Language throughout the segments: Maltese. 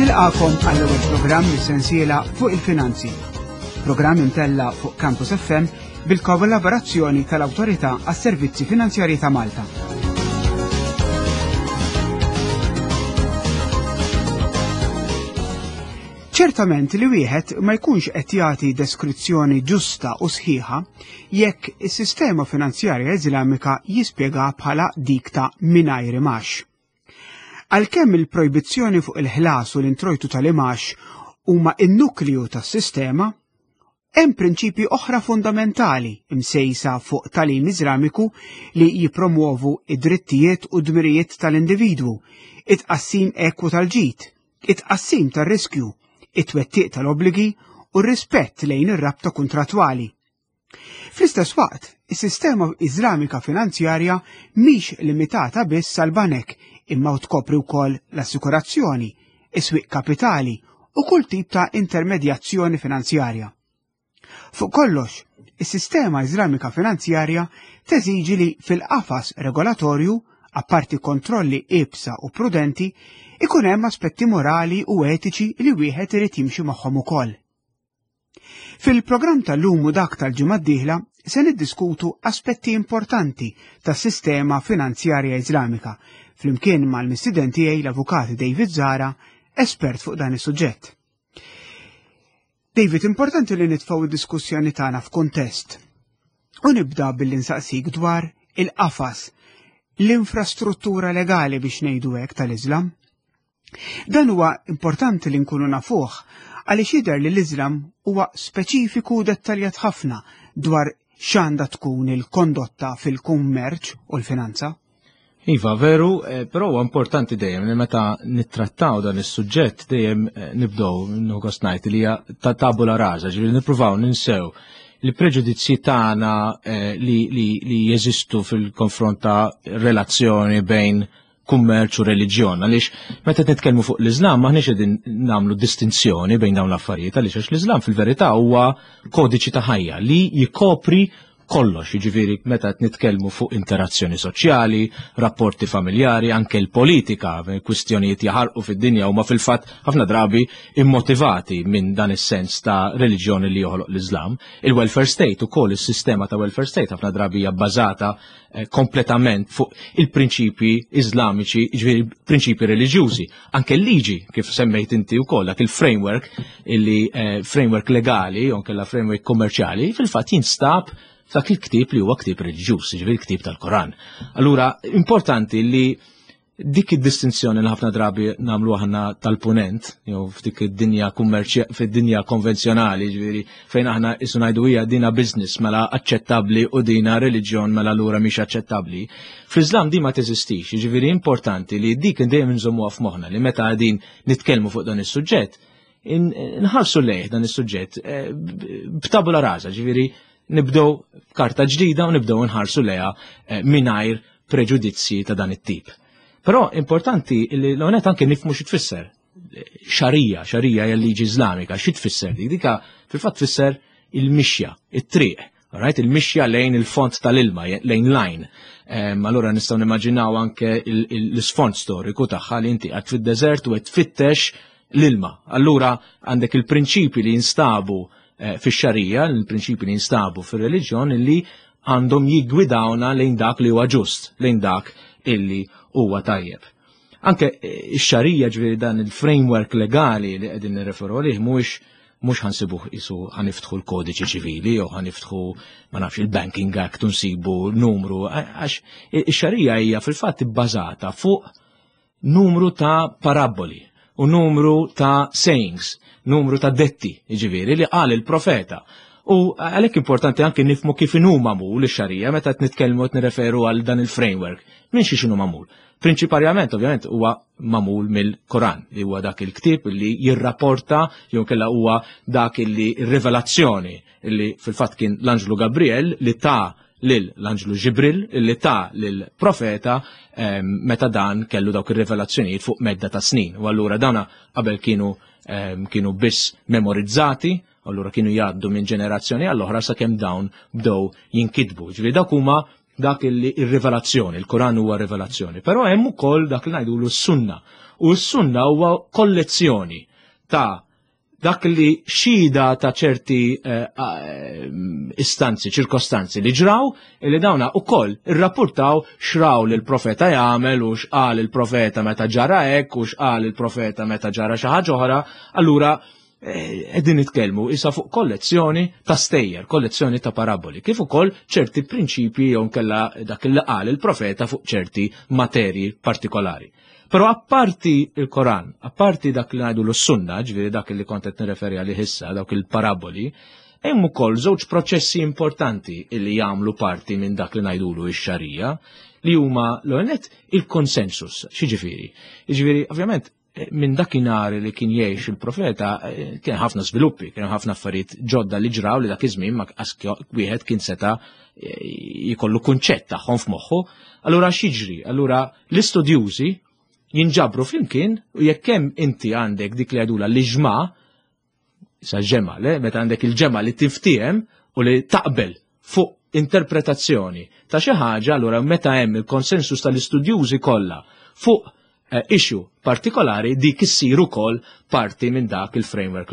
Nilqakom għall-ewwel programm mis-sensiela fuq il-finanzi. Programm imtella fuq Campus FM bil-kollaborazzjoni tal-Awtorità għas-Servizzi Finanzjarji ta' Malta. Ċertament li wieħed ma jkunx qed jagħti deskrizzjoni ġusta u sħiħa jekk is-sistema finanzjarja Iżlamika jispjega bħala dik ta' mingħajr imax. Għalkemm il-projbizzjoni fuq il-ħlas u l-introjtu tal-imax huma n-nukliju tas-sistema, Hemm prinċipji oħra fundamentali msejsa fuq tagħlim Iżlamiku li jippromwovu id-drittijiet u d-dmirijiet tal-individwu, it-tqassim ekwu tal-ġid, it-tqassim tar-riskju, it-twettiq tal-obbligi u r-rispett lejn ir-rabta kuntrattwali. Fl-istess waqt, is-sistema Iżlamika finanzjarja mhix limitata biss għal banek imma tkopri wkoll l-assikurazzjoni, is-swieq kapitali u kull tip ta' intermedjazzjoni finanzjarja. Fuq kollox, is-sistema Iżlamika finanzjarja teżiġi li fil-qafas regolatorju, apparti kontrolli iebsa u prudenti, ikun hemm aspetti morali u etiċi li wieħed irid jimxi magħhom ukoll. Fil-programm tal-lum u dak tal-ġimgħa d-dieħla se niddiskutu aspetti importanti tas-sistema finanzjarja Iżlamika flimkien mal-mistiden tiegħi l-Avukat David Zara, espert fuq dan is-suġġett. David, importanti li nitfgħu id-diskussjoni tagħna f'kuntest. U nibda billi nsaqsik dwar il-qafas, l-infrastruttura legali biex ngħidu hekk tal-Iżlam. Dan huwa importanti li nkunu nafuh għaliex jidher li l-Iżlam huwa speċifiku u dettaljat ħafna dwar x'għandha tkun il-kondotta fil-kummerċ u l-finanza. Iva, veru, eh, però huwa importanti dejjem li meta nittrattaw dan is-suġġett dejjem eh, nibdew nħogost ngħid li hija ta' tabula rasa, ġifieri nippruvaw ninsew il-preġudizzji tagħna eh, li, li, li jeżistu fil-konfront ta' relazzjoni bejn kummerċ u reliġjon għaliex meta nitkellmu fuq l-Iżlam maħniex qegħdin nagħmlu distinzjoni bejn dawn l-affarijiet għaliex għax l-Iżlam fil-verità huwa kodiċi ta' ħajja li jikopri kollox, jiġifieri meta qed nitkellmu fuq interazzjoni soċjali, rapporti familjari, anke l-politika, kwistjonijiet jaħarqu fid-dinja huma fil-fatt ħafna drabi immotivati minn dan is-sens ta' reliġjoni li joħloq l-Iżlam. Il-welfare state ukoll is-sistema ta' welfare state ħafna drabi hija bbażata Eh, kompletament fuq il-prinċipji iżlamiċi, ġifieri prinċipji reliġjużi. Anke l-liġi, kif semmejt inti wkoll, dak il-framework illi eh, framework legali, jew kella framework kommerċjali, fil-fatt jinstab f'dak il-ktieb li huwa ktieb reliġjuż, ġifieri ktieb tal-Koran. Allura, importanti li dik id-distinzjoni li ħafna drabi nagħmlu aħna tal-punent, jew f'dik id-dinja kummerċja fid-dinja konvenzjonali, ġifieri fejn aħna isu ngħidu hija dina business mela aċċettabbli u dina reliġjon mela lura mhix aċċettabbli. Fl-Iżlam di ma teżistix, ġifieri importanti li dik dejjem inżommuha f'moħħna li meta qegħdin nitkellmu fuq dan is-suġġett, nħarsu lejh dan is-suġġett eh, b'tabula rasa, ġifieri nibdew karta ġdida u nibdew nħarsu lejha eh, mingħajr preġudizzji ta' dan it-tip. Però importanti li l-onet anke nifmu xi tfisser. Xarija, xarija hija liġi Iżlamika, xi tfisser dik? Dika fil-fatt tfisser il-mixja, it-triq, right? Il-mixja lejn il-font tal-ilma, lejn lajn. Allura nistgħu nimmaġinaw anke l-isfond storiku tagħha li inti qed fid-deżert u qed tfittex l-ilma. Allura għandek il-prinċipi li jinstabu eh, fix-xarija, il-prinċipi li jinstabu fir-reliġjon li għandhom jiggwidawna lejn dak li huwa ġust, lejn dak illi huwa tajjeb. Anke eh, ix-xarija ġifieri dan il-framework legali li qegħdin nirreferu għalih mhuwiex mhux ħansibuh isu ħaniftħu l-kodiċi ċivili jew ħaniftħu ma nafx il-Banking Act unsibu numru għax ix-xarija hija fil-fatt ibbażata fuq numru ta' parabboli u numru ta' sayings, numru ta' detti, jiġifieri li qal il-profeta. U għalhekk importanti anke nifmu kif inhu magħmul ix-xarija meta qed nitkellmu qed nirreferu għal dan il-framework. Minn xi x'inhu magħmul? Prinċiparjament ovvjament huwa magħmul mill-Koran li huwa dak il-ktieb li jirrapporta jew kella huwa dak li rivelazzjoni li fil-fatt kien l-Anġlu Gabriel li ta' lil l-anġlu Ġibril li ta lil profeta ehm, meta dan kellu dawk ir-rivelazzjonijiet fuq medda ta' snin. U allura dana qabel kienu ehm, kienu biss memorizzati, allura kienu jgħaddu minn ġenerazzjoni għall-oħra sakemm dawn bdew jinkitbu. Ġifieri dak huma dak illi ir-rivelazzjoni, il-Kuran huwa rivelazzjoni. Però hemm ukoll dak li ngħidulu s-sunna. U s-sunna huwa kollezzjoni ta' dak li xhieda ta' ċerti eh, eh, istanzi, ċirkostanzi li ġraw, li dawna u koll irrapportaw xraw li l-profeta jagħmel u xqal il-profeta meta ġara hekk u xqal il-profeta meta ġara xi ħaġa oħra, allura eh, qegħdin nitkellmu issa fuq kollezzjoni ta' stejjer, kollezzjoni ta' paraboli, kif ukoll ċerti prinċipji jew nkella dak li qal il-profeta fuq ċerti materji partikolari. Però apparti il-Koran, apparti dak li ngħidu l-sunna, ġifieri dak li kont qed nirreferi għalih issa, dawk il-paraboli, hemm ukoll żewġ proċessi importanti li jagħmlu parti minn dak li ngħidulu x-xarija, li huma l il-konsensus. X'jiġifieri? Jiġifieri, ovvjament, minn dakinhar li kien jgħix il-profeta eh, kien ħafna sviluppi, kien ħafna affarijiet ġodda li ġraw li dak iż-żmien ma wieħed kien seta' eh, jkollu kunċett tagħhom f'moħħu. Allura x'jiġri? Allura l-istudjużi jinġabru flimkien u jekk hemm inti għandek dik li għadula l-iġma, sa ġemma, le, meta għandek il-ġemma li tiftiem u li taqbel fuq interpretazzjoni ta' xi ħaġa, allura meta hemm il-konsensus tal-istudjużi kollha fuq eh, issue partikolari dik issir ukoll parti minn dak il-framework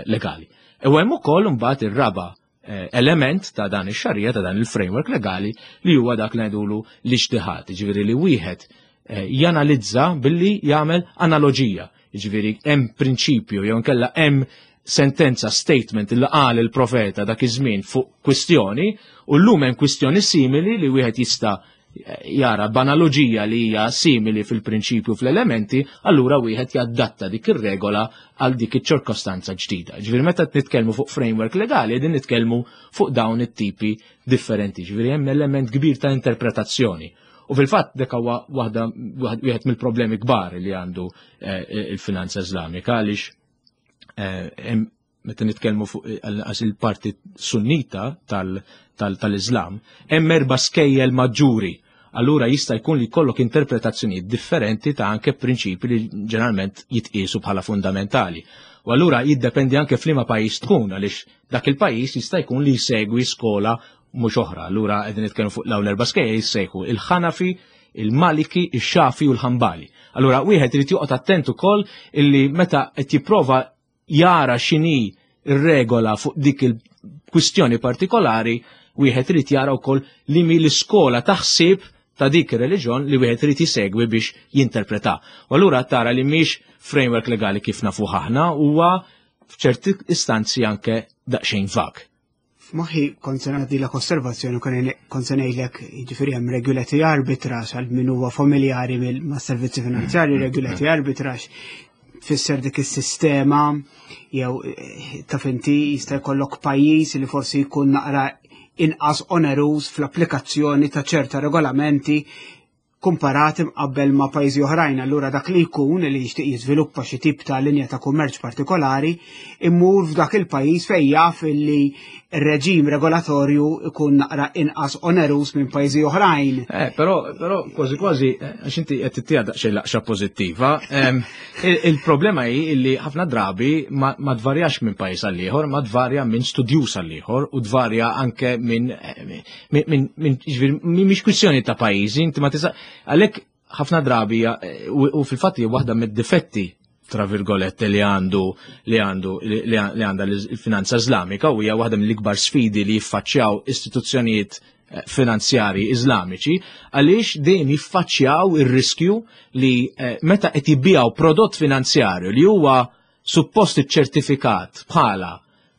legali. U hemm ukoll imbagħad ir-raba eh, element ta' dan ix-xarija ta' dan il-framework legali li huwa dak li ngħidulu l-ijtihad, jiġifieri li wieħed eh, janalizza billi jagħmel analoġija. Jiġifieri hemm prinċipju jew inkella hemm sentenza statement li qal il-profeta dak iż-żmien fuq kwistjoni u llum hemm kwistjoni simili li wieħed jista' jara b'analoġija li hija simili fil-prinċipju fl-elementi, allura wieħed jaddatta dik ir-regola għal dik iċ-ċirkostanza ġdida. Ġifieri meta nitkellmu fuq framework legali, qegħdin nitkellmu fuq dawn it-tipi differenti. Ġifieri hemm element kbir ta' interpretazzjoni. U fil-fatt dak huwa waħda wieħed mill-problemi kbar li għandu eh, il-finanza Iżlamika għaliex eh, meta nitkellmu fuq għas il-parti sunnita tal-Islam, hemm erba' skejjel maġġuri. Allura jista' jkun li jkollok interpretazzjonijiet differenti ta' anke prinċipi li ġeneralment jitqiesu bħala fundamentali. U allura jiddependi anke f'liema pajjiż tkun għaliex dak il-pajjiż jista' jkun li jsegwi skola mhux oħra. Allura qegħdin nitkellmu fuq l erba' skejjel jissejħu il-Ħanafi, il-Maliki, ix-Xafi u l-Ħambali. Allura wieħed irid joqgħod attent ukoll illi meta qed jipprova jara x'inhi r-regola fuq dik il-kwistjoni partikolari, wieħed irid jara wkoll li mi l-iskola taħsib ta' dik ir-reliġjon li wieħed irid jisegwi biex jinterpreta. U allura tara li mhix framework legali kif nafu aħna huwa f'ċerti istanzi anke daqsxejn vag. F'moħħi kont se nagħtilek osservazzjoni kont se ngħidlek jiġifieri hemm regulatory arbitrage għal min huwa familjari mas-servizzi finanzjarji mm. regulatory arbitrage tfisser dik is-sistema jew eh, taf inti jista' jkollok pajjiż li forsi jkun naqra inqas oneruż fl-applikazzjoni ta' ċerta regolamenti kumparati mqabbel ma' pajjiżi oħrajn, allura dak li jkun li jixtieq jiżviluppa xi tip ta' linja ta' kummerċ partikolari immur f'dak il-pajjiż fejn jaf li r-reġim regolatorju ikun naqra inqas onerus minn pajjiżi oħrajn. Eh, però, però kważi kważi, eh, għax inti qed tittija daqsxejn laqxa pożittiva, il-problema hi li ħafna drabi ma tvarjax minn pajjiż għal ieħor, ma tvarja minn studjuż għal ieħor u tvarja anke minn eh, minn mhix kwistjoni ta' pajjiżi, inti ma tista' għalhekk ħafna drabi eh, u fil-fatt hija waħda mid-difetti tra virgolette li għandu li għandu li għandha l-finanza Iżlamika u hija waħda mill-ikbar sfidi li jiffaċċjaw istituzzjonijiet eh, finanzjari Iżlamiċi għaliex dejjem jiffaċċjaw ir-riskju li eh, meta qed jibbijaw prodott finanzjarju li huwa suppost iċċertifikat bħala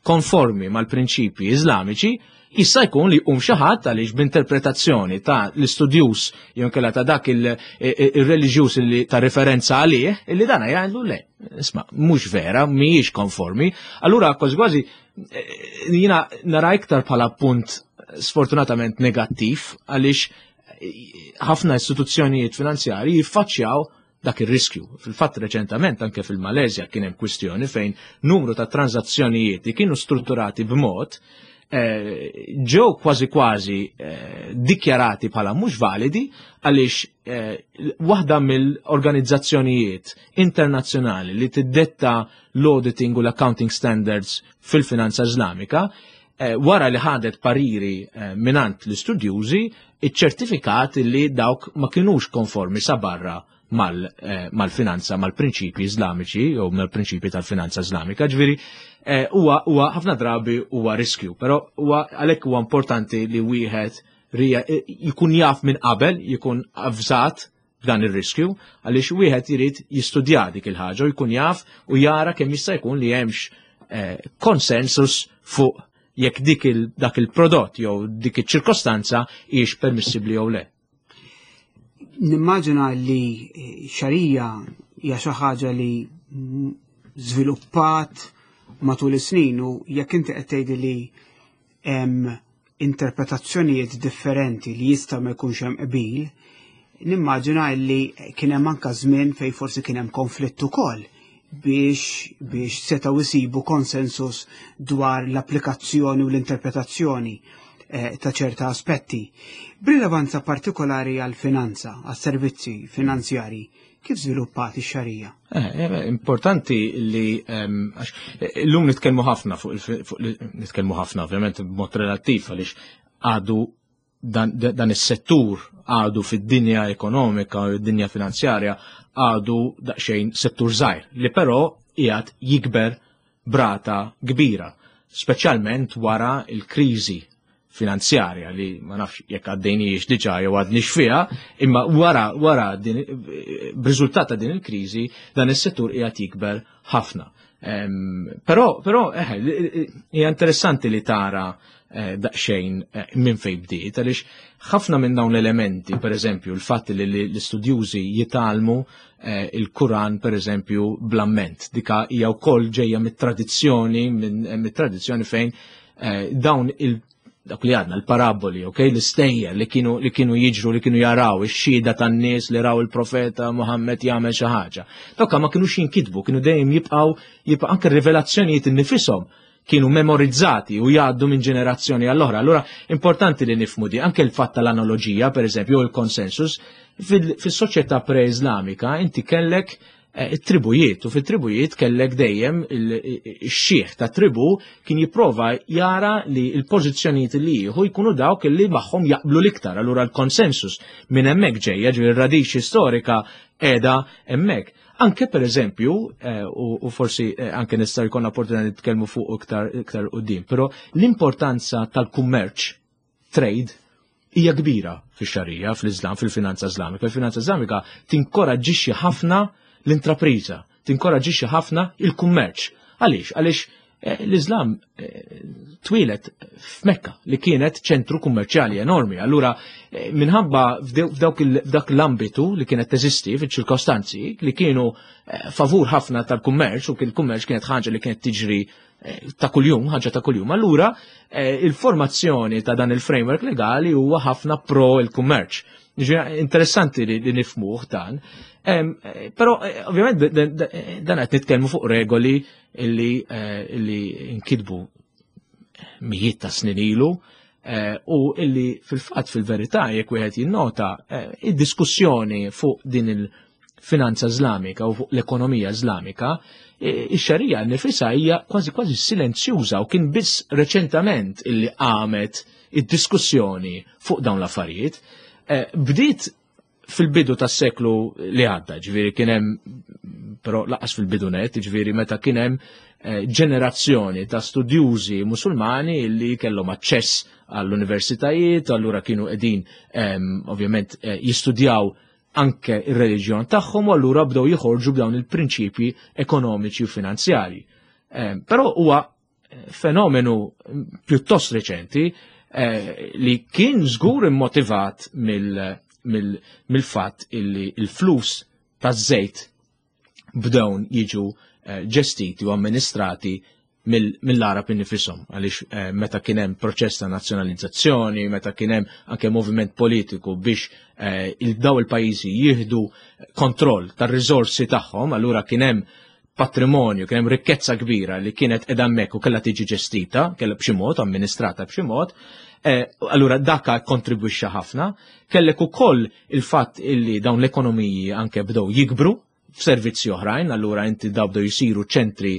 konformi mal-prinċipji Iżlamiċi, jista' jkun li jqum xi ħadd għaliex b'interpretazzjoni ta' l-istudjuż jew inkella ta' dak il-reliġjuż li ta' referenza għalih, illi dana jgħidlu le, isma' mhux vera, mhijiex konformi. Allura kważi kważi eh, jiena nara iktar bħala punt sfortunatament negattiv għaliex eh, ħafna istituzzjonijiet finanzjarji jiffaċċjaw dak ir-riskju. Fil-fatt reċentament anke fil-Malezja kien hemm kwistjoni fejn numru ta' transazzjonijiet li kienu strutturati b'mod eh, ġew kważi kważi eh, dikjarati bħala mhux validi għaliex eh, waħda mill-organizzazzjonijiet internazzjonali li tiddetta l-auditing u l-accounting standards fil-finanza Iżlamika wara li ħadet pariri minant l-istudjużi iċ-ċertifikat li dawk ma kinux konformi sa barra. mal-finanza, mal-prinċipji Iżlamiċi jew mal-prinċipji tal-finanza Iżlamika. Ġifieri huwa ħafna drabi huwa riskju, però huwa għalhekk huwa importanti li wieħed jkun jaf minn qabel, jkun avżat b'dan ir-riskju, għaliex wieħed irid jistudja dik il-ħaġa u jkun jaf u jara kemm jista' jkun li hemmx konsensus fuq jekk dik dak il-prodott jew dik iċ-ċirkostanza hijiex permissibbli jew le. Nimmaġina li xarija hija xi ħaġa li żviluppat matul is-snin u jekk inti qed tgħidi li hemm interpretazzjonijiet differenti li jista' ma jkunx hemm qbil, nimmaġina li kien hemm anke żmien fejn forsi kien hemm konflitt ukoll biex setgħu jsibu konsensus dwar l-applikazzjoni u l-interpretazzjoni ta' ċerta aspetti. B'rilevanza partikolari għal-finanza, għas-servizzi finanzjari, kif żviluppat ix-xarija? Importanti li għax illum nitkellmu ħafna fuq nitkellmu ħafna ovvjament b'mod relattiv għaliex għadu dan is-settur għadu fid-dinja ekonomika u d-dinja finanzjarja għadu daqsxejn settur żgħir li però qiegħed jikber brata kbira, speċjalment wara l-kriżi finanzjarja li ma nafx jekk għaddejniex diġà jew għadniex fiha, imma wara din, b'riżultat ta' din il-kriżi dan is-settur qiegħed jikber ħafna. Però hija interessanti li tara daqsxejn minn fejn bdiet, għaliex ħafna minn dawn l-elementi, per eżempju, il-fatt li l-istudjużi jitalmu il-Kuran, per eżempju, bl-amment, dika hija wkoll ġejja mit-tradizzjoni fejn dawn il dak li għadna, l-paraboli, ok, l-istejjer li kienu jiġru, li kienu jaraw, ix-xhieda tan-nies li raw il-profeta Muhammad jagħmel xi ħaġa. Dawk ma kinux jinkitbu, kienu dejjem jibqgħu anke r-rivelazzjonijiet innifisom kienu memorizzati u jgħaddu minn ġenerazzjoni għall-oħra. Allura importanti li nifhmu di, anke l-fatt tal-analoġija, per eżempju, u l-konsensus, fis-soċjetà pre-Islamika inti kellek it-tribujiet, u fit-tribujiet kellek dejjem il-xieħ ta' tribu kien jipprova jara li l-pożizzjonijiet li jieħu jkunu dawk li magħhom jaqblu l-iktar. Allura l-konsensus minn hemmhekk ġejja, ġifieri r-radiċi storika qiegħda hemmhekk. Anke per eżempju, u forsi anke nista' jkollna opportunità nitkellmu fuq iktar quddiem, però l-importanza tal-kummerċ, trade, hija kbira fix-xarija, fl-Islam, fil-finanza Islamika. Il-finanza Islamika tinkoraġġixxi ħafna l-intrapriża, tinkoraġġixxi ħafna il-kummerċ. Għaliex? Għaliex l-Islam twieled f'Mekka li kienet ċentru kummerċjali enormi. Allura minħabba f'dak l-ambitu li kienet teżisti fiċ-ċirkostanzi li kienu favur ħafna tal-kummerċ, u il-kummerċ kienet ħaġa li kienet tiġri ta' kuljum, ħaġa ta' kuljum. Allura il-formazzjoni ta' dan il-framework legali huwa ħafna pro il-kummerċ. Ġifieri, interessanti li nifmuh dan. Però ovvjament dan qed nitkellmu fuq regoli illi nkitbu mijiet ta' snin ilu u illi fil-fatt fil-verità jekk wieħed jinnota id-diskussjoni fuq din il-finanza Islamika u fuq l-ekonomija Islamika, ix-xarija nifisha hija kważi kważi silenzjuża u kien biss reċentament illi qamet id-diskussjoni fuq dawn l-affarijiet. Bdiet fil-bidu tas-seklu li għadda, ġifieri kien hemm, però laqas fil-bidu net, ġifieri meta kien hemm ġenerazzjoni ta' studjużi musulmani li kellhom aċċess għall-universitajiet, allura kienu qegħdin ovvjament jistudjaw anke ir-reliġjon tagħhom u allura bdew joħorġu b'dawn il-prinċipji ekonomiċi u finanzjarji. Però huwa fenomenu pjuttost reċenti li kien żgur immotivat mill-fatt illi il-flus taż-żejt bdew jiġu ġestiti u amministrati mill-Arab innifisom, għaliex meta kien hemm proċess ta' nazzjonalizzazzjoni, meta kien hemm anke moviment politiku biex daw il-pajjiżi jieħdu kontroll tar-riżorsi tagħhom, allura kien hemm patrimonju, kien hemm rikkezza kbira li kienet qiegħda hemmhekk u kellha tiġi ġestita, kellha b'xi mod, amministrata b'xi mod, allura daka kontribwixxa ħafna. Kellek ukoll il-fatt illi dawn l-ekonomiji anke bdew jikbru f'servizzi oħrajn, allura inti daw bdew jisiru ċentri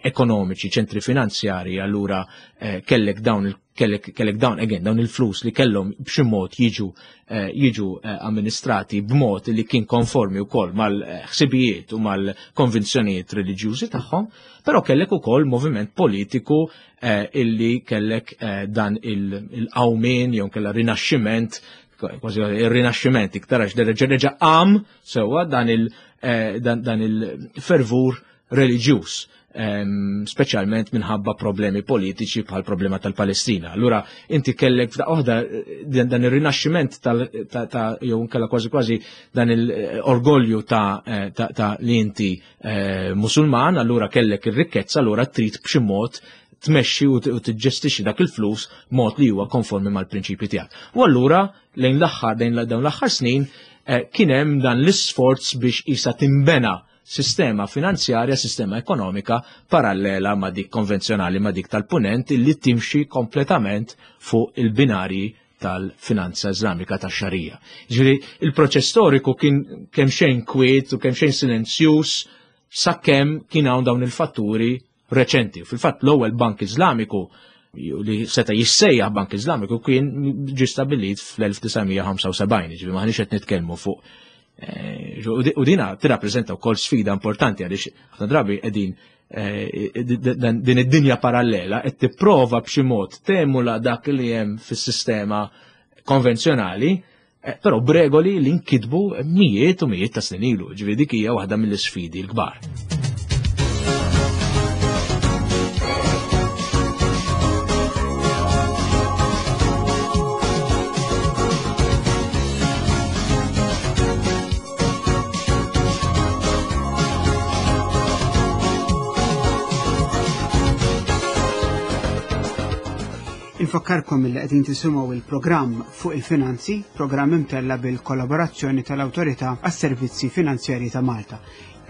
ekonomiċi, ċentri finanzjari, allura eh, kellek dawn kellek, kellek dawn again dawn il-flus li kellhom b'xi mod jiġu eh, jiġu eh, amministrati b'mod li kien konformi wkoll mal-ħsibijiet u mal-konvinzjonijiet reliġjużi tagħhom, però kellek ukoll moviment politiku illi kellek dan il-qawmien jew kellha rinaxximent kważi il-rinaxximent iktar għax reġa' qam sewwa dan il-fervur reliġjuż, speċjalment minħabba problemi politiċi bħal problema tal-Palestina. Allura inti kellek f'daqqa waħda eh, dan ir-rinaxximent ta' jew nkella kważi kważi dan il-orgolju eh, ta', ta li inti eh, Musulman, allura kellek ir-rikkezza, allura trid b'xi mod tmexxi u tiġġestixxi dak il-flus mod li huwa konformi mal-prinċipji tiegħek. U allura lejn l-aħħar lejn dawn l-aħħar snin kien hemm dan l-isforz biex isa timbena sistema finanzjarja, sistema ekonomika parallela ma' dik konvenzjonali ma' dik tal-punent li timxi kompletament fuq il-binarji tal-finanza Iżlamika tax-xarija. Ġifieri il-proċess storiku kien kemm xejn kwiet u kemm xejn silenzjuż sakemm kien hawn dawn il-fatturi reċenti. Fil-fatt l-ewwel bank Iżlamiku li seta' jissejjaħ Bank Iżlamiku kien ġi stabbilit fl-1975, ġifieri maħniex qed nitkellmu fuq eh, u dina tirrappreżenta wkoll sfida importanti għaliex ħafna drabi qegħdin eh, din id-dinja parallela qed tipprova b'xi mod temula dak li hemm fis-sistema konvenzjonali, eh, però b'regoli li nkitbu mijiet u mijiet ta' snin ilu, ġifieri dik hija waħda mill-isfidi l-kbar. Infakkarkom li qegħdin tisimgħu il-programm fuq il-finanzi, programm imtella bil-kollaborazzjoni tal-Awtorità għas-Servizzi Finanzjarji ta' Malta.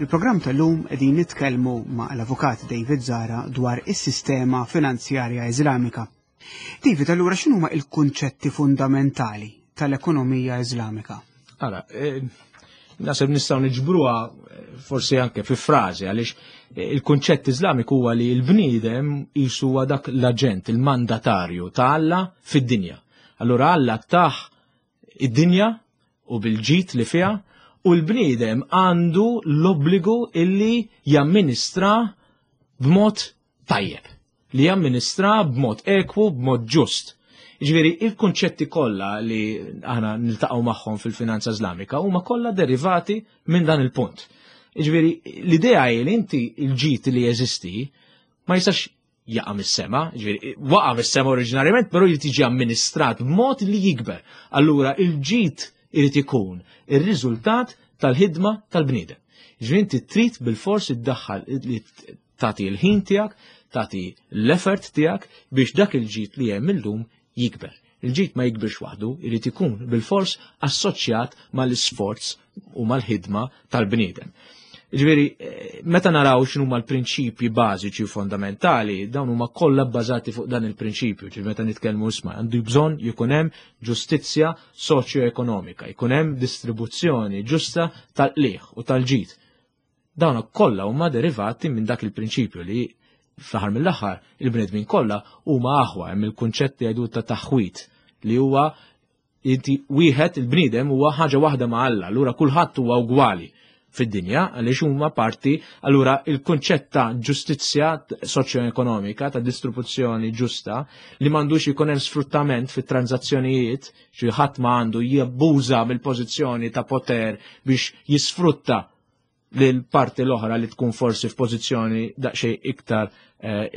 Il-programm tal-lum qegħdin nitkellmu ma' l-Avukat David Zara dwar is-sistema finanzjarja Iżlamika. David, allura x'inhuma il-kunċetti fundamentali tal-ekonomija Iżlamika? Ara, eh, nasib nistgħu niġbruha eh, forsi anke fi frażi għaliex eh, il-kunċett Iżlamiku huwa li l-bniedem jisu huwa dak l-aġent, il-mandatarju ta' Alla fid-dinja. Allura Alla taħ id-dinja u bil-ġid li fiha u l-bniedem għandu l-obbligu illi jamministra b'mod tajjeb, li jamministra b'mod ekwu, b'mod ġust. Ġifieri, il-kunċetti kollha li aħna niltaqgħu magħhom fil-finanza Iżlamika huma kollha derivati minn dan il-punt. Ġifieri, l-idea hi li inti l-ġid li jeżisti ma jistax jaqa' mis-sema, ġifieri, waqa' mis-sema oriġinarjament, però jrid jiġi amministrat b'mod li jikber. Allura il-ġid irid ikun ir-riżultat tal-ħidma tal-bniedem. Ġifieri inti trid bilfors iddaħħal li tagħti l-ħin tiegħek, tagħti l-effort tiegħek biex dak il-ġid li hemm illum jikber. Il-ġid ma jikbirx waħdu, irid ikun bilfors assoċjat mal-isforz u mal-ħidma tal-bniedem. Ġifieri, eh, meta naraw x'inhuma l-prinċipji bażiċi u fondamentali, dawn huma kollha bbażati fuq dan il-prinċipju. Ġifieri meta nitkellmu isma' għandu bżonn jkun hemm ġustizzja soċjo-ekonomika, jkun hemm distribuzzjoni ġusta tal-qligħ u tal-ġid. Dawn kollha huma derivati minn dak il-prinċipju li fl-aħħar mill-aħħar il-bnedmin kollha huma aħwa hemm il-kunċett li jgħidu ta' taħwit li huwa inti wieħed il-bniedem huwa ħaġa waħda ma' Alla, allura kulħadd huwa ugwali fid-dinja għaliex huma parti allura il-kunċett ta' ġustizzja soċjo-ekonomika ta' distribuzzjoni ġusta li m'għandux ikun hemm sfruttament fit-tranzazzjonijiet xi ħadd ma għandu jabbuża mill-pożizzjoni ta' poter biex jisfrutta lil parti l-oħra li tkun forsi f'pożizzjoni daqsxejn iktar eh,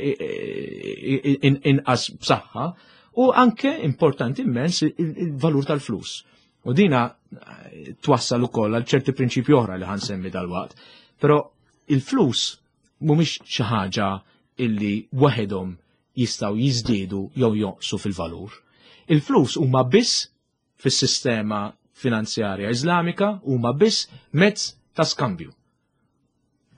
inqas b'saħħa u anke importanti immens il-valur tal-flus. U dina eh, twassal ukoll għal ċerti prinċipji oħra li ħansemmi dal-waqt. Però il-flus mhumiex xi ħaġa illi waħedhom jistgħu jiżdiedu jew jonqsu fil-valur. Il-flus huma biss fis-sistema finanzjarja Iżlamika huma biss mezz ta' skambju.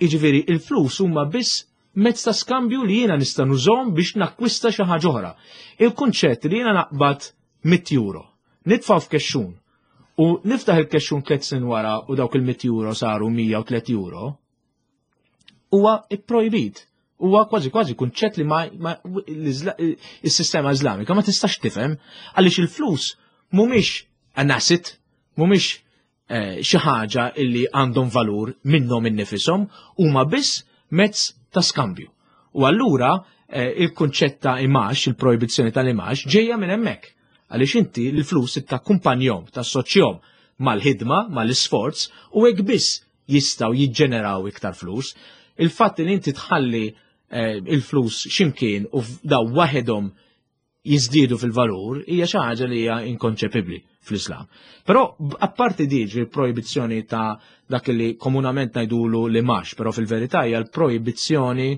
Jiġifieri il-flus huma biss mezz ta' skambju li jiena nista' nużhom biex nakkwista xi ħaġa oħra. Il-kunċett li jiena naqbad 100 euro, nitfa' f'kexxun u niftaħ il-kexxun tliet snin wara u dawk il-100 euro saru 103 euro, huwa ipprojbit. Huwa kważi kważi kunċett li ma, ma is-sistema Iżlamika ma tistax tifhem għaliex il-flus mhumiex an asset, mhumiex eh, xi ħaġa illi għandhom valur minnhom innifishom, huma biss mezz ta' skambju. U allura eh, il-kunċett ta' imax, il-projbizzjoni tal-imax, ġejja minn hemmhekk. Għaliex inti l-flus takkumpanjhom, tassoċjhom mal-ħidma, mal-isforz, u hekk biss jistgħu jiġġeneraw iktar flus. Il-fatt li inti tħalli eh, il-flus ximkien u daw waħedhom jiżdiedu fil-valur hija xi ħaġa li hija inkonċepibbli fl-Islam. Però apparti diġi l-projbizzjoni ta' dak li komunament ngħidulu li max, però fil-verità hija l-projbizzjoni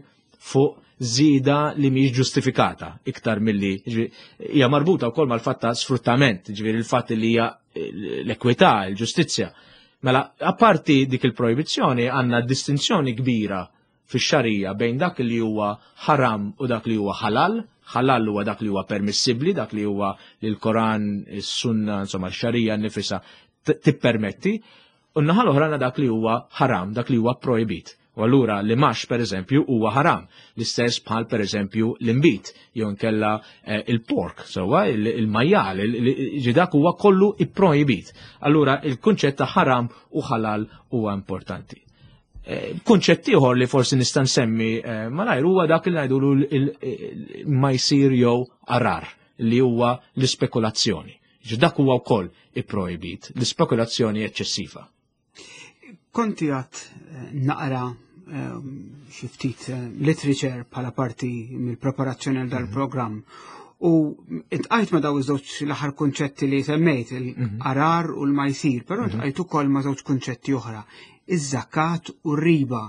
fuq żieda li mhijiex ġustifikata iktar milli hija marbuta wkoll mal-fatt ta' sfruttament, ġifieri il-fatt li hija l-ekwità, il-ġustizzja. Mela, apparti dik il-projbizzjoni għandna distinzjoni kbira fix-xarija bejn dak li huwa ħaram u dak li huwa ħalal. Ħalal huwa dak li huwa permissibbli, dak li huwa li l-Koran, is-Sunna, insomma, x-xarija nnifisha tippermetti. U n-naħa l-oħra għandna dak li huwa ħaram, dak li huwa projbit. U allura li max per eżempju huwa ħaram, l-istess bħal per eżempju l-imbit, jew inkella eh, il-pork, sewwa il-majjal, ġi dak huwa kollu ipprojbit. Allura il-kunċett ta' ħaram u ħalal huwa importanti. Eh, kunċett ieħor li forsi nista' nsemmi eh, malajr huwa dak li ngħidulu ma jsir jew arar li huwa l-ispekulazzjoni. Ġi dak huwa wkoll ipprojbit, l-ispekulazzjoni eċċessiva. Konti għat eh, naqra xi ftit literature bħala parti mill-preparazzjoni għal dal-programm. U intqajt ma daw iż-żewġ l-aħħar kunċetti li semmejt, il-qarar u l-majsir, però ntqajt ukoll ma' żewġ kunċetti oħra, iż-żakat u r-riba.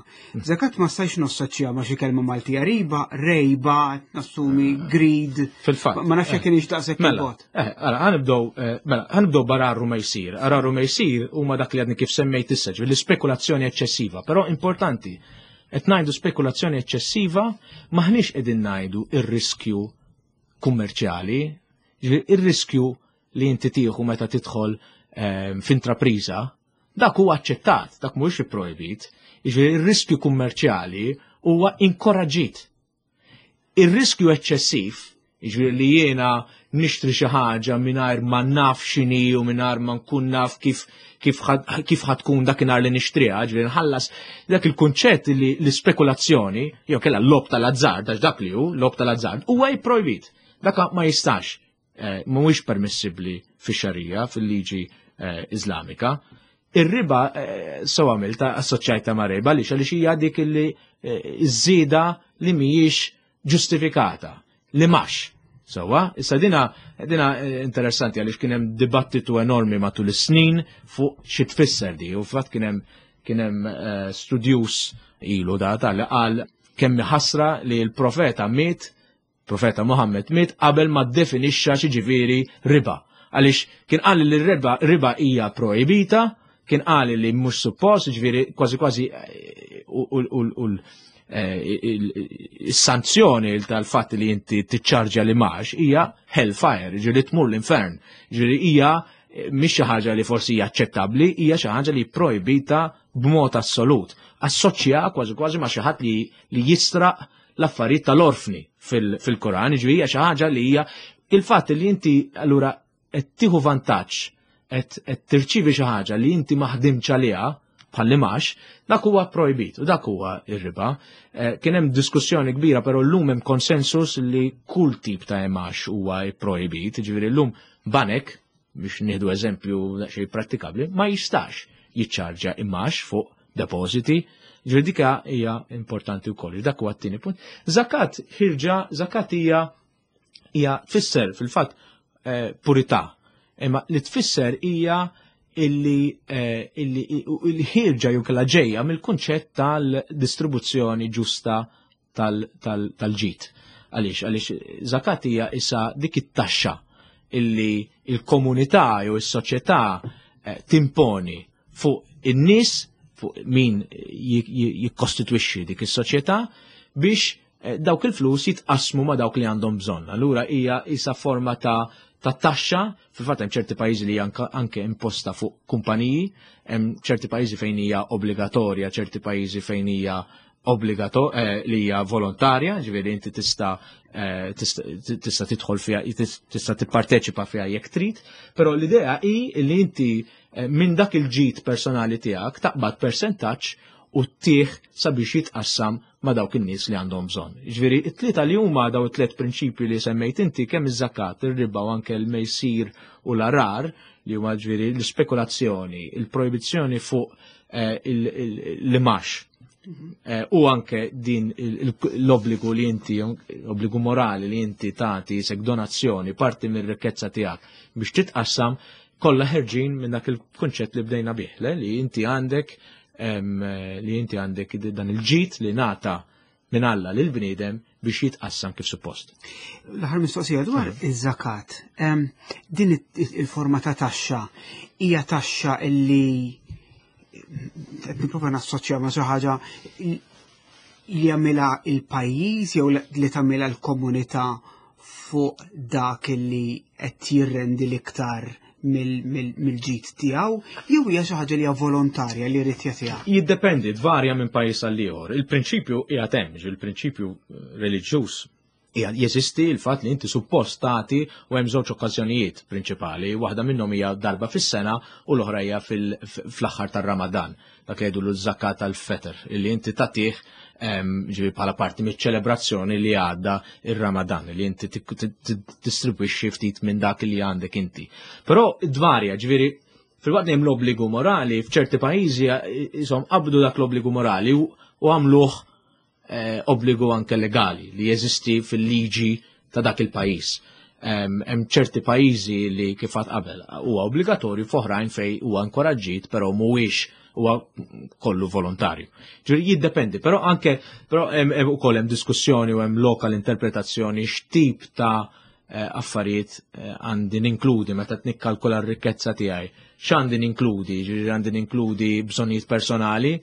Zakat ma stajx nossoċja ma xi kelma Maltija riba, rejba, nassumi greed. Fil-fatt. Ma nafx jekk kienx daqshekk Mela, il-bot. eh, ara, ħanibdew, eh, mela, ħanibdew bararru ma jsir. Ararru ma jsir huma dak li għadni kif semmejt issa, ġifieri l-ispekulazzjoni eċċessiva, però importanti, qed ngħidu spekulazzjoni eċċessiva maħniex qegħdin ngħidu ir-riskju kummerċjali, ġifieri ir-riskju li inti tieħu meta tidħol f'intrapriża, dak huwa aċċettat, dak mhuwiex ipprojbit. Jiġifieri ir-riskju kummerċjali huwa inkoraġġit. Ir-riskju eċċessiv, jiġifieri li jiena nixtri xi ħaġa mingħajr ma naf x'inhi u mingħajr ma nkun naf kif kif kif ħatkun dakinhar li nixtriha, ġifieri nħallas dak il-kunċett li l-ispekulazzjoni, jew kellha l-lob tal-azzard, għax dak li hu lob tal-azzard, huwa jipprojbit. Dak ma jistax, mhuwiex permissibbli fix-xarija, fil-liġi Iżlamika. Ir-riba sew għamilta assoċjajta ma' riba għaliex għaliex hija dik li iż-żieda li mhijiex ġustifikata, li max. Sewwa, issa dina, dina interessanti għaliex kien hemm dibattitu enormi matul is-snin fuq xi tfisser di, u fatt kien hemm kien hemm studjus ilu da tal qal kemm ħasra li l-profeta miet, profeta Muhammad miet qabel ma ddefinixxa xi ġifieri riba. Għaliex kien qal li r-riba riba hija projbita, kien qal li mhux suppost, ġifieri kważi kważi u is-sanzjoni tal-fatt li inti tiċċarġja li max hija hellfire, ġifieri tmur l-infern. Ġifieri hija mhix xi ħaġa li forsi hija aċċettabbli, hija xi ħaġa li projbita b'mod assolut. Assoċja kważi kważi ma' xi ħadd li, li jistraq l-affarijiet tal-orfni fil-Koran, ġifieri hija xi ħaġa li hija il-fatt li inti allura qed tieħu vantaġġ, qed tirċievi xi ħaġa li inti ma ħdimtx għaliha bħal max, dak huwa projbit u dak huwa ir-riba. Kien hemm diskussjoni kbira, però llum hemm konsensus li kull tip ta' imax huwa projbit, ġifieri llum banek, biex nieħdu eżempju xejn prattikabbli, ma jistax jiċċarġa imax fuq depositi. Ġifieri dika hija importanti wkoll. Dak huwa t-tieni punt. Zakat ħirġa, zakat hija hija tfisser fil-fatt purità. Imma li tfisser hija illi illi ħirġa jew kellha ġejja mill-kunċett tal-distribuzzjoni ġusta tal-ġid. Għaliex, għaliex zakat hija issa dik it-taxxa illi il-komunità jew is-soċjetà timponi fuq in-nies, fuq min jikkostitwixxi dik is-soċjetà biex dawk il-flus jitqasmu ma' dawk li għandhom bżonn. Allura hija isa forma ta' taxxa, fil-fatt hemm ċerti pajjiżi li hija anke imposta fuq kumpaniji, hemm ċerti pajjiżi fejn hija obbligatorja, ċerti pajjiżi fejn hija obbligato eh, li hija volontarja, ġifieri inti tista' eh, tista' tidħol fiha, tista' tipparteċipa fiha jekk trid, però l-idea hi li inti eh, minn dak il-ġid personali tiegħek taqbad persentaġġ u ttih sabiex jitqassam ma' dawk in-nies li għandhom bżonn. Ġifieri, it-tlieta li huma daw it-tliet prinċipji li semmejt inti kemm iż-żakat, ir-riba u anke l-mejsir u l-arar li huma ġifieri l-ispekulazzjoni, il-projbizzjoni fuq eh, l-imax eh, u anke din l-obbligu li inti, obbligu morali li inti tagħti sek donazzjoni parti mir-rikkezza tiegħek biex titqassam kollha ħerġin minn dak il-kunċett li bdejna bih, li inti għandek li inti għandek dan il-ġid li nata minn Alla lil bniedem biex jitqassam kif suppost. L-aħħar mistoqsija dwar iż-żakat. Din il-forma ta' taxxa hija taxxa illi qed nipprova nassoċja ma' xi ħaġa li jagħmilha il-pajjiż jew li tagħmilha l-komunità fuq dak li qed jirrendi l-iktar mill-ġid tiegħu jew hija xi ħaġa li hija volontarja li jrid jagħtiha? Jiddependi, tvarja minn pajjiż għal ieħor. Il-prinċipju qiegħed hemm, il-prinċipju reliġjuż jeżisti l-fatt li inti suppost tagħti u hemm żewġ okkażjonijiet prinċipali, waħda minnhom hija darba fis-sena u l-oħra hija fl-aħħar tar-Ramadan. Dak li jgħidu l-żakat tal-feter, illi inti tagħtih ġifieri bħala parti miċ-ċelebrazzjoni li għadda ir-Ramadan, li inti tistribwixxi ftit minn dak li għandek inti. Però dvarja, ġifieri fil-waqt li hemm l-obbligu morali, f'ċerti pajjiżi isom qabdu dak l-obbligu morali u għamluh eh, obbligu anke legali li jeżisti fil-liġi ta' dak il-pajjiż. Hemm ċerti pajjiżi li kif għad qabel huwa obbligatorju f'oħrajn fej huwa inkoraġġit però mhuwiex huwa kollu volontarju. Ġifieri jiddependi, però anke però hemm ukoll hemm diskussjoni u hemm lokal interpretazzjoni x'tip ta' eh, affarijiet eh, għandi ninkludi meta nikkalkula r-rikkezza tiegħi. X'għandi ninkludi? Ġifieri għandi ninkludi bżonnijiet personali,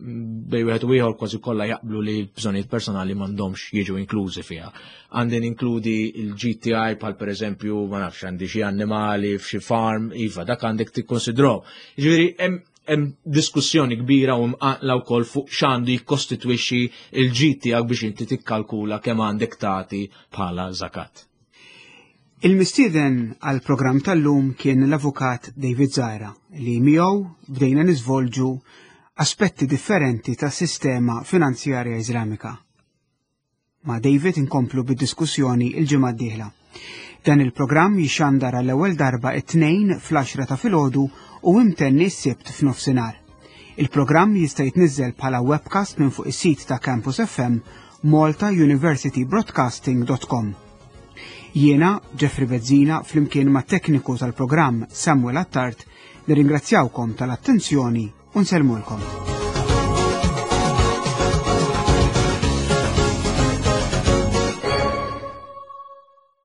bej wieħed u ieħor kważi kollha jaqblu li l-bżonnijiet personali m'għandhomx jiġu inklużi fiha. Għandi ninkludi l-GTI bħal pereżempju ma nafx għandi xi annimali f'xi farm, iva dak għandek tikkonsidraw. Ġifieri hemm diskussjoni kbira u mqaqla wkoll fuq x'għandu jikkostitwixxi l-ġid tiegħek biex inti tikkalkula kemm għandek tagħti bħala zakat. Il-mistieden għall-programm tal-lum kien l-Avukat David Zahra li miegħu bdejna niżvolġu aspetti differenti tas-sistema finanzjarja Iżlamika. Ma' David inkomplu bid-diskussjoni il-ġimgħa d-dieħla. Dan il-programm jixandar għall-ewwel darba it-tnejn fl-10 ta' filgħodu u imtenni s-Sibt f'nofsinhar. Il-programm jista' jitniżżel bħala webcast minn fuq is-sit ta' Campus FM maltauniversitybroadcasting.com. Jiena, Jeffrey Bezzina, flimkien ma' tekniku tal-programm Samuel Attard, nirringrazzjawkom tal-attenzjoni u nsellmulkom.